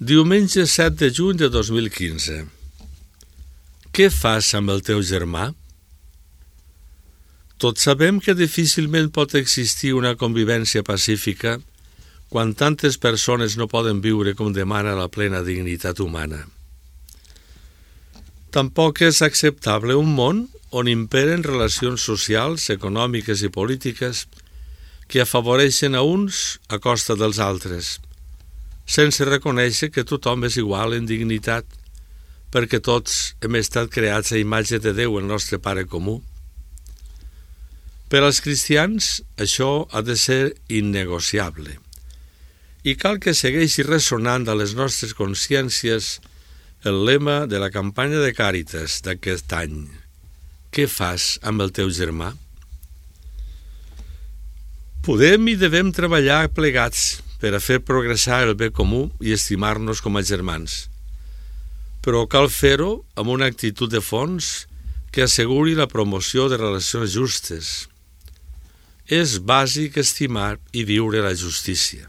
Diumenge 7 de juny de 2015. Què fas amb el teu germà? Tots sabem que difícilment pot existir una convivència pacífica quan tantes persones no poden viure com demana la plena dignitat humana. Tampoc és acceptable un món on imperen relacions socials, econòmiques i polítiques que afavoreixen a uns a costa dels altres, sense reconèixer que tothom és igual en dignitat, perquè tots hem estat creats a imatge de Déu, el nostre Pare comú. Per als cristians, això ha de ser innegociable. I cal que segueixi ressonant a les nostres consciències el lema de la campanya de Càritas d'aquest any. Què fas amb el teu germà? Podem i devem treballar plegats per a fer progressar el bé comú i estimar-nos com a germans. Però cal fer-ho amb una actitud de fons que asseguri la promoció de relacions justes. És bàsic estimar i viure la justícia.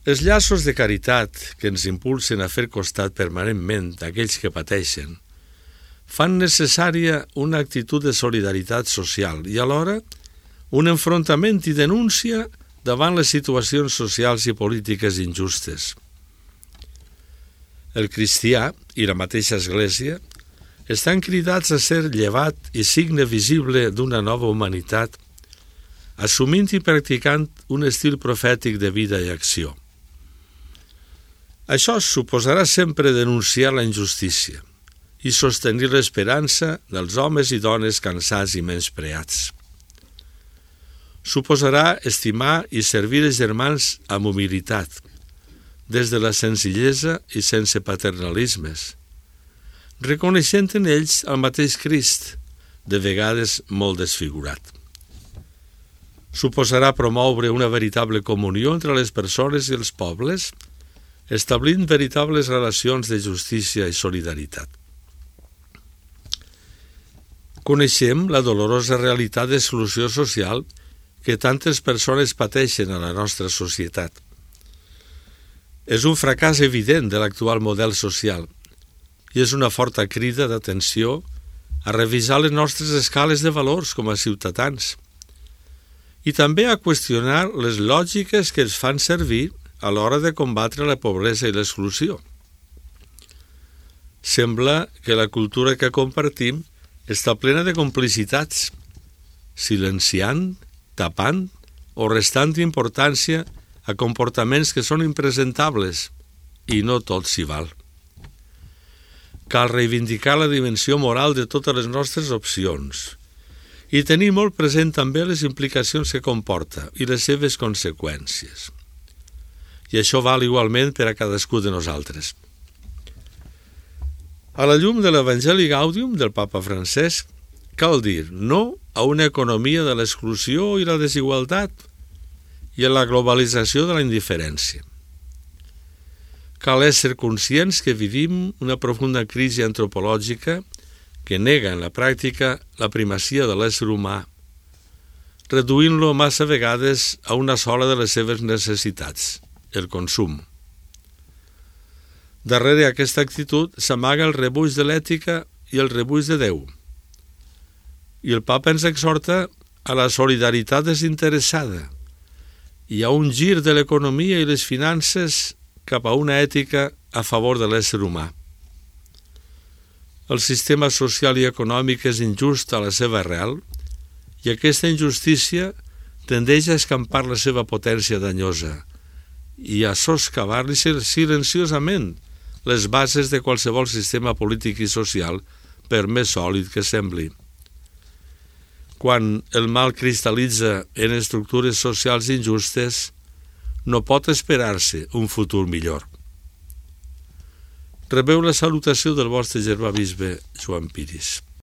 Els llaços de caritat que ens impulsen a fer costat permanentment a aquells que pateixen fan necessària una actitud de solidaritat social i alhora un enfrontament i denúncia davant les situacions socials i polítiques injustes. El cristià i la mateixa Església estan cridats a ser llevat i signe visible d'una nova humanitat, assumint i practicant un estil profètic de vida i acció. Això suposarà sempre denunciar la injustícia i sostenir l'esperança dels homes i dones cansats i menyspreats. Suposarà estimar i servir els germans amb humilitat, des de la senzillesa i sense paternalismes, reconeixent en ells el mateix Crist, de vegades molt desfigurat. Suposarà promoure una veritable comunió entre les persones i els pobles, establint veritables relacions de justícia i solidaritat. Coneixem la dolorosa realitat d'exclusió social que tantes persones pateixen a la nostra societat. És un fracàs evident de l'actual model social i és una forta crida d'atenció a revisar les nostres escales de valors com a ciutadans i també a qüestionar les lògiques que es fan servir a l'hora de combatre la pobresa i l'exclusió. Sembla que la cultura que compartim està plena de complicitats, silenciant, tapant o restant importància a comportaments que són impresentables i no tot s'hi val. Cal reivindicar la dimensió moral de totes les nostres opcions i tenir molt present també les implicacions que comporta i les seves conseqüències. I això val igualment per a cadascú de nosaltres. A la llum de l'Evangeli Gaudium del Papa Francesc, cal dir no a una economia de l'exclusió i la desigualtat i a la globalització de la indiferència. Cal ésser conscients que vivim una profunda crisi antropològica que nega en la pràctica la primacia de l'ésser humà, reduint-lo massa vegades a una sola de les seves necessitats, el consum. Darrere aquesta actitud s'amaga el rebuig de l'ètica i el rebuig de Déu. I el Papa ens exhorta a la solidaritat desinteressada i a un gir de l'economia i les finances cap a una ètica a favor de l'ésser humà. El sistema social i econòmic és injust a la seva arrel i aquesta injustícia tendeix a escampar la seva potència danyosa i a soscavar-li silenciosament les bases de qualsevol sistema polític i social, per més sòlid que sembli. Quan el mal cristal·litza en estructures socials injustes, no pot esperar-se un futur millor. Rebeu la salutació del vostre germà bisbe Joan Piris.